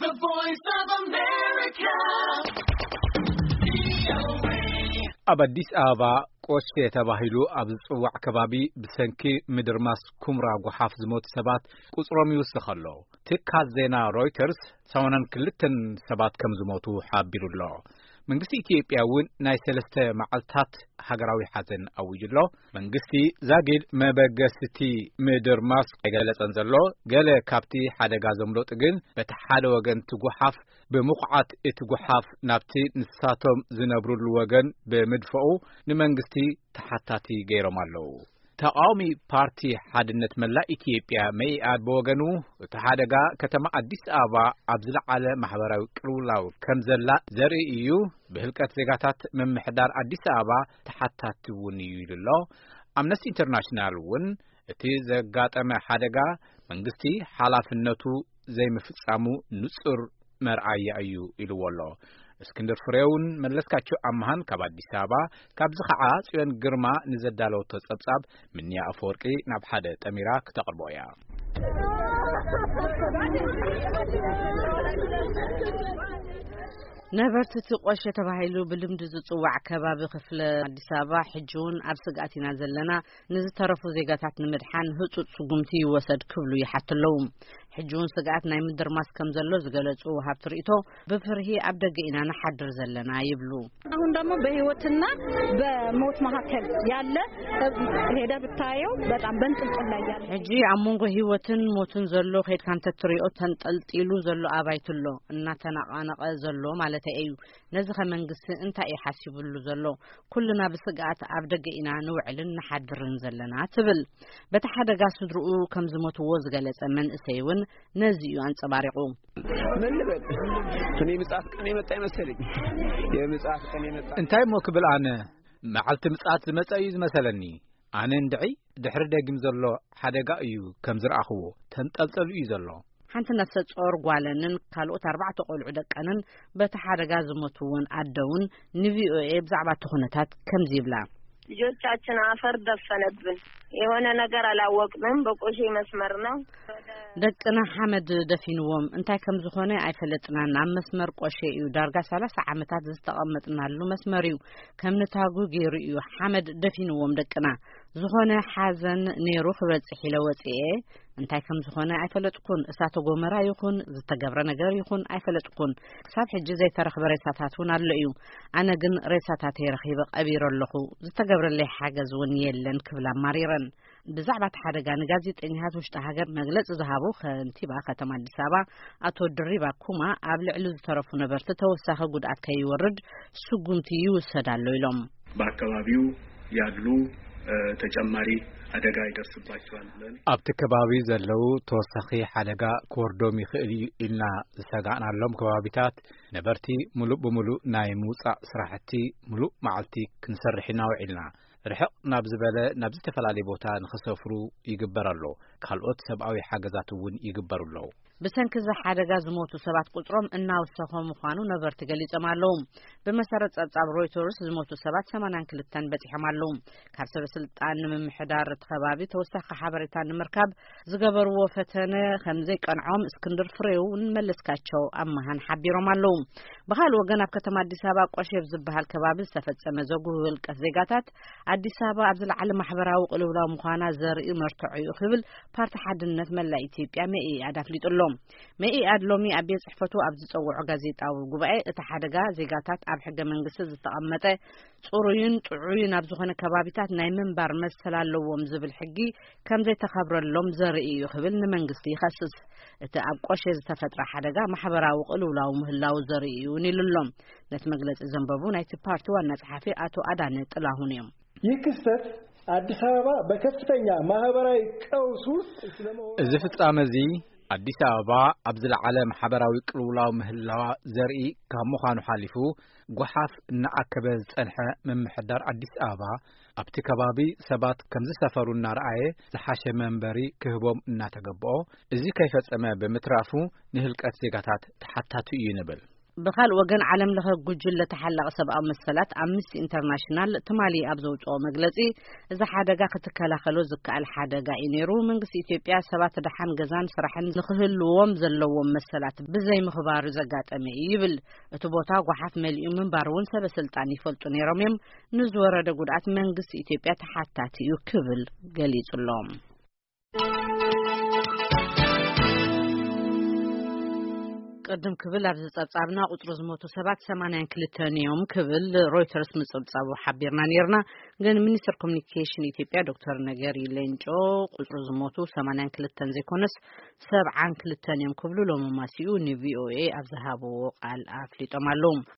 The Voice of America. ኣብ ኣዲስ ኣበባ ቆሼ ተባሂሉ ኣብ ዝጽዋዕ ከባቢ ብሰንኪ ምድርማስ ኩምራ ጓሓፍ ዝሞቱ ሰባት ቁጽሮም ይውስኽ ኣሎ። ትካል ዜና ሮይተርስ ሰማንያን ክልተን ሰባት ከም ዝሞቱ ሓቢሩ ኣሎ። መንግስቲ ኢትዮጵያ እውን ናይ ሰለስተ መዓልታት ሃገራዊ ሓዘን ኣዊጁ ኣሎ። መንግስቲ ዛጊድ መበገስቲ ምድርማስ ኣይገለጸን ዘሎ። ገለ ካብቲ ሓደጋ ዘምለጡ ግን በቲ ሓደ ወገን እቲ ጓሓፍ ብምኹዓት እቲ ጓሓፍ ናብቲ ንሳቶም ዝነብሩሉ ወገን ብምድፍኡ ንመንግስቲ ተሓታቲ ገይሮም ኣለዉ። ተቓዋሚ ፓርቲ ሓድነት መላእ ኢትዮጵያ መኢኣድ ብወገኑ እቲ ሓደጋ ከተማ ኣዲስ ኣበባ ኣብ ዝለዓለ ማሕበራዊ ቅልውላው ከም ዘላ ዘርኢ እዩ፣ ብህልቀት ዜጋታት ምምሕዳር ኣዲስ ኣበባ ተሓታቲ እውን እዩ ኢሉ ኣሎ። ኣምነስቲ ኢንተርናሽናል እውን እቲ ዘጋጠመ ሓደጋ መንግስቲ ሓላፍነቱ ዘይምፍጻሙ ንጹር መርኣያ እዩ ኢልዎ ኣሎ። እስክንድር ፍሬውን መለስካቸው ኣምሃን ካብ ኣዲስ ኣበባ፣ ካብዚ ኸዓ ጽዮን ግርማ ንዘዳለወቶ ጸብጻብ ምንያ ኣፈወርቂ ናብ ሓደ ጠሚራ ክተቕርቦ እያ። ነበርቲ እቲ ቆሸ ተባሂሉ ብልምዲ ዝጽዋዕ ከባቢ ክፍለ ኣዲስ ኣበባ ሕጂ እውን ኣብ ስግኣት ኢና ዘለና፣ ንዝተረፉ ዜጋታት ንምድሓን ህጹጽ ስጉምቲ ይወሰድ ክብሉ ይሓቱ ኣለዉ። ሕጂ እውን ስግኣት ናይ ምድርማስ ከም ዘሎ ዝገለጹ ወሃብቲ ርእይቶ፣ ብፍርሂ ኣብ ደገ ኢና ንሓድር ዘለና ይብሉ። አሁን ደግሞ በህይወትና በሞት መካከል ያለ ሄደ ብታየው በጣም በንጥልጥል ላይ ያለ ሕጂ ኣብ መንጎ ህይወትን ሞትን ዘሎ ከድካ እንተትሪኦ ተንጠልጢሉ ዘሎ ኣባይቲ ኣሎ፣ እናተነቓነቐ ዘሎ ማለት እዩ። ነዚ ከ መንግስቲ እንታይ እዩ ሓሲብሉ ዘሎ? ኩልና ብስግኣት ኣብ ደገ ኢና ንውዕልን ንሓድርን ዘለና ትብል። በቲ ሓደጋ ስድርኡ ከም ዝሞትዎ ዝገለጸ መንእሰይ እውን ነዚ እዩ ኣንጸባሪቑ። ምን ልበል? እኔ ምጽኣት ቀን የመጣ ይመስለኝ። የምጽኣት ቀን የመጣ እንታይ እሞ ክብል ኣነ? መዓልቲ ምጽኣት ዝመጸ እዩ ዝመሰለኒ። ኣነ እንድዒ ድሕሪ ደጊም ዘሎ ሓደጋ እዩ ከም ዝረኣኽዎ፣ ተንጠልጠሉ እዩ ዘሎ። ሓንቲ ነፍሰ ጾር ጓለንን ካልኦት ኣርባዕተ ቆልዑ ደቀንን በቲ ሓደጋ ዝሞቱ እውን ኣደውን ንቪኦኤ ብዛዕባ እቲ ኩነታት ከምዚ ይብላ። ልጆቻችን አፈር ደፈነብን። የሆነ ነገር አላወቅንም። በቆሼ መስመር ነው። ደቅና ሓመድ ደፊንዎም፣ እንታይ ከም ዝኾነ ኣይፈለጥናን። ኣብ መስመር ቆሼ እዩ፣ ዳርጋ ሰላሳ ዓመታት ዝተቐመጥናሉ መስመር እዩ። ከም ንታጉ ገይሩ እዩ ሓመድ ደፊንዎም ደቅና። ዝኾነ ሓዘን ነይሩ ክበጽሕ ኢለ ወጽኤ፣ እንታይ ከም ዝኾነ ኣይፈለጥኩን። እሳተ ጎመራ ይኹን ዝተገብረ ነገር ይኹን ኣይፈለጥኩን። ክሳብ ሕጂ ዘይተረኽበ ሬሳታት እውን ኣሎ እዩ። ኣነ ግን ሬሳታተይ ረኺበ ቀቢረ ኣለኹ። ዝተገብረለይ ሓገዝ እውን የለን ክብላ ኣማሪረን። ብዛዕባ እቲ ሓደጋ ንጋዜጠኛታት ውሽጢ ሃገር መግለጺ ዝሃቡ ከንቲባ ከተማ ኣዲስ ኣበባ ኣቶ ድሪባ ኩማ፣ ኣብ ልዕሊ ዝተረፉ ነበርቲ ተወሳኺ ጉድኣት ከይወርድ ስጉምቲ ይውሰድ ኣሎ ኢሎም። በአካባቢው ያሉ ተጨማሪ አደጋ ይደርስባቸዋል ብለን ኣብቲ ከባቢ ዘለዉ ተወሳኺ ሓደጋ ክወርዶም ይኽእል እዩ ኢልና ዝሰጋእናሎም ከባቢታት ነበርቲ ሙሉእ ብሙሉእ ናይ ምውጻእ ስራሕቲ ሙሉእ መዓልቲ ክንሰርሕ ኢና ውዒልና። ርሕቕ ናብ ዝበለ ናብ ዝተፈላለየ ቦታ ንኽሰፍሩ ይግበር ኣሎ። ካልኦት ሰብኣዊ ሓገዛት እውን ይግበሩ ኣለዉ። ብሰንኪ እዚ ሓደጋ ዝሞቱ ሰባት ቁጽሮም እናወሰኸ ምዃኑ ነበርቲ ገሊጾም ኣለዉ። ብመሰረት ጸብጻብ ሮይተርስ ዝሞቱ ሰባት ሰማንያን ክልተን በጺሖም ኣለዉ። ካብ ሰበ ስልጣን ንምምሕዳር እቲ ከባቢ ተወሳኺ ሓበሬታ ንምርካብ ዝገበርዎ ፈተነ ከም ዘይቀንዖም እስክንድር ፍሬውን መለስካቸው ኣማሃን ሓቢሮም ኣለዉ። ብኻልእ ወገን ኣብ ከተማ ኣዲስ ኣበባ ቆሼ ኣብ ዝበሃል ከባቢ ዝተፈጸመ ዘጉህው ህልቀት ዜጋታት ኣዲስ ኣበባ ኣብ ዝለዓለ ማሕበራዊ ቅልውላው ምዃና ዘርኢ መርትዖ እዩ ክብል ፓርቲ ሓድነት መላእ ኢትዮጵያ መኢኣድ ኣፍሊጡ ኣሎ። መኢኣድ ሎሚ ኣብ ቤት ጽሕፈቱ ኣብ ዝጸውዖ ጋዜጣዊ ጉባኤ እቲ ሓደጋ ዜጋታት ኣብ ሕገ መንግስቲ ዝተቐመጠ ጽሩይን ጥዑይን ኣብ ዝኾነ ከባቢታት ናይ ምንባር መሰል ኣለዎም ዝብል ሕጊ ከም ዘይተኸብረሎም ዘርኢ እዩ ክብል ንመንግስቲ ይኸስስ። እቲ ኣብ ቆሼ ዝተፈጥረ ሓደጋ ማሕበራዊ ቅልውላው ምህላው ዘርኢ እዩ እውን ኢሉ ኣሎ። ነቲ መግለጺ ዘንበቡ ናይቲ ፓርቲ ዋና ጸሓፊ ኣቶ ኣዳነ ጥላሁን እዮም። ይህ ክስተት አዲስ አበባ በከፍተኛ ማህበራዊ ቀውስ ውስጥ ስለመሆኑ እዚ ፍጻመ እዚ ኣዲስ ኣበባ ኣብ ዝለዓለ ማሕበራዊ ቅልውላው ምህላዋ ዘርኢ ካብ ምዃኑ ሓሊፉ፣ ጓሓፍ እናኣከበ ዝጸንሐ ምምሕዳር ኣዲስ ኣበባ ኣብቲ ከባቢ ሰባት ከም ዝሰፈሩ እናረኣየ ዝሓሸ መንበሪ ክህቦም እናተገብኦ፣ እዚ ከይፈጸመ ብምትራፉ ንህልቀት ዜጋታት ተሓታቲ እዩ ንብል። ብኻልእ ወገን፣ ዓለም ለኸ ጉጅለ ተሓላቒ ሰብኣዊ መሰላት ኣምነስቲ ኢንተርናሽናል ትማሊ ኣብ ዘውፅኦ መግለፂ፣ እዚ ሓደጋ ክትከላኸሎ ዝከኣል ሓደጋ እዩ ነይሩ። መንግስቲ ኢትዮጵያ ሰባት ደሓን ገዛን ስራሕን ንክህልዎም ዘለዎም መሰላት ብዘይምኽባሩ ዘጋጠመ እዩ ይብል። እቲ ቦታ ጓሓፍ መሊኡ ምንባሩ እውን ሰበ ስልጣን ይፈልጡ ነይሮም እዮም። ንዝወረደ ጉድኣት መንግስቲ ኢትዮጵያ ተሓታቲ እዩ ክብል ገሊጹ ኣሎ። ቅድም ክብል ኣብዚ ጸብጻብና ቁጽሪ ዝሞቱ ሰባት ሰማንያን ክልተን እዮም ክብል ሮይተርስ ምጽብጻቡ ሓቢርና ነይርና። ግን ሚኒስትር ኮሚኒኬሽን ኢትዮጵያ ዶክተር ነገሪ ሌንጮ ቁጽሪ ዝሞቱ ሰማንያን ክልተን ዘይኮነስ ሰብዓን ክልተን እዮም ክብሉ ሎሚ ማሲኡ ን ቪ ኦ ኤ ኣብ ዝሃብዎ ቃል ኣፍሊጦም ኣለዉ።